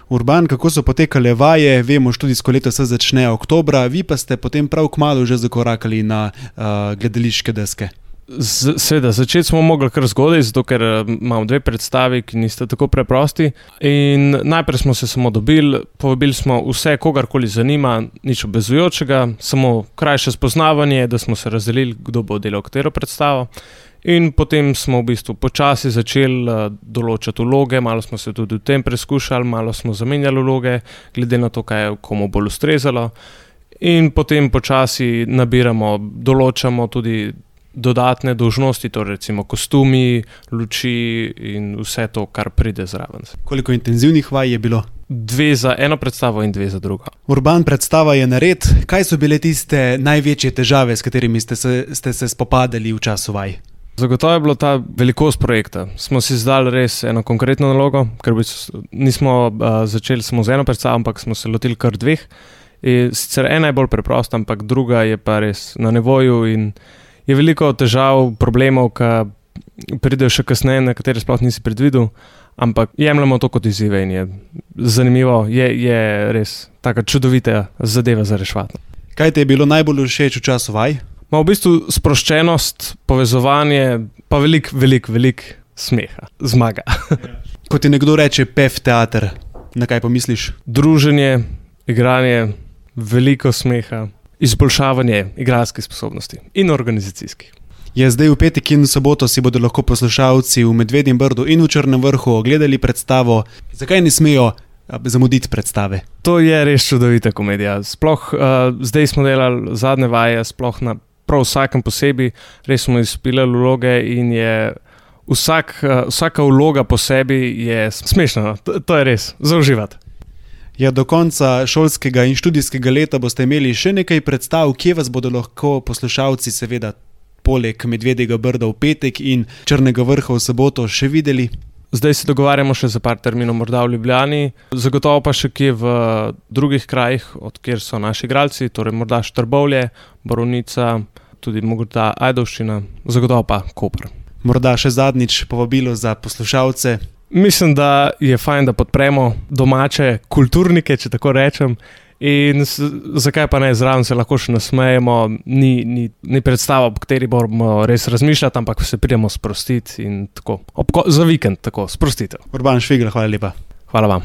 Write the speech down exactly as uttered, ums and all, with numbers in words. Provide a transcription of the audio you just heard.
Urban, kako so potekale vaje? Vemo, študijsko leto se začne oktobra, vi pa ste potem prav kmalu že zakorakali na uh, gledališke deske. Seveda, začeti smo mogli kar zgodaj, zato ker imamo dve predstavi, ki nista tako preprosti. In najprej smo se samo dobili, povabili smo vse, kogarkoli zanima, nič obvezujočega, samo krajše spoznavanje, da smo se razdelili, kdo bo delal katero predstavo. In potem smo v bistvu počasi začeli določati vloge, malo smo se tudi v tem preskušali, malo smo zamenjali vloge, glede na to, kaj je komu bolj ustrezalo. In potem počasi nabiramo, določamo tudi dodatne dolžnosti, torej recimo kostumi, luči in vse to, kar pride zraven. Koliko intenzivnih vaj je bilo? Dve za eno predstavo in dve za drugo. Urban, predstava je nared. Kaj so bile tiste največje težave, s katerimi ste se, ste se spopadali v času vaj? Zagotovo je bilo ta velikost projekta. Smo si zdali res eno konkretno nalogo, ker nismo uh, začeli samo z eno predstavo, ampak smo se lotili kar dveh. In sicer ena je bolj preprosta, ampak druga je pa res na nivoju in je veliko težav, problemov, ki pridejo še kasneje, na katere sploh nisi predvidel, ampak jemljamo to kot izzive in je zanimivo, je, je res taka čudovita zadeva za reševati. Kaj ti je bilo najbolj všeč v času vaj? Ma v bistvu sproščenost, povezovanje, pa velik, velik, velik smeha, zmaga. Ko ti nekdo reče pef teater, na kaj pomisliš? Druženje, igranje, veliko smeha, izboljšavanje igralskih sposobnosti in organizacijskih. Je zdaj v petek in soboto si bodo lahko poslušalci v Medvedjem Brdu in v Črnem Vrhu ogledali predstavo. Zakaj ne smejo zamuditi predstave? To je res čudovita komedija. Sploh uh, zdaj smo delali zadnje vaje, sploh na prav vsakem posebej, res smo izpilali vloge in je vsak, uh, vsaka vloga po sebi je smešna. To, to je res, za uživati. Ja, do konca šolskega in študijskega leta boste imeli še nekaj predstav, kje vas bodo lahko poslušalci seveda poleg Medvedjega Brda v petek in Črnega Vrha v soboto še videli? Zdaj se dogovarjamo še za par terminov morda v Ljubljani, zagotovo pa še kje v drugih krajih, od kjer so naši igralci, torej morda Štrbovlje, Borovnica, tudi morda Ajdovščina, zagotovo pa Koper. Morda še zadnjič povabilo za poslušalce. Mislim, da je fajn, da podpremo domače kulturnike, če tako rečem, in s, zakaj pa ne, zraven se lahko še nasmejemo, ni, ni, ni predstava, po kateri moramo res razmišljati, ampak se pridemo sprostiti in tako, Ob, za vikend tako, sprostitev. Urban Švigelj, hvala lepa. Hvala vam.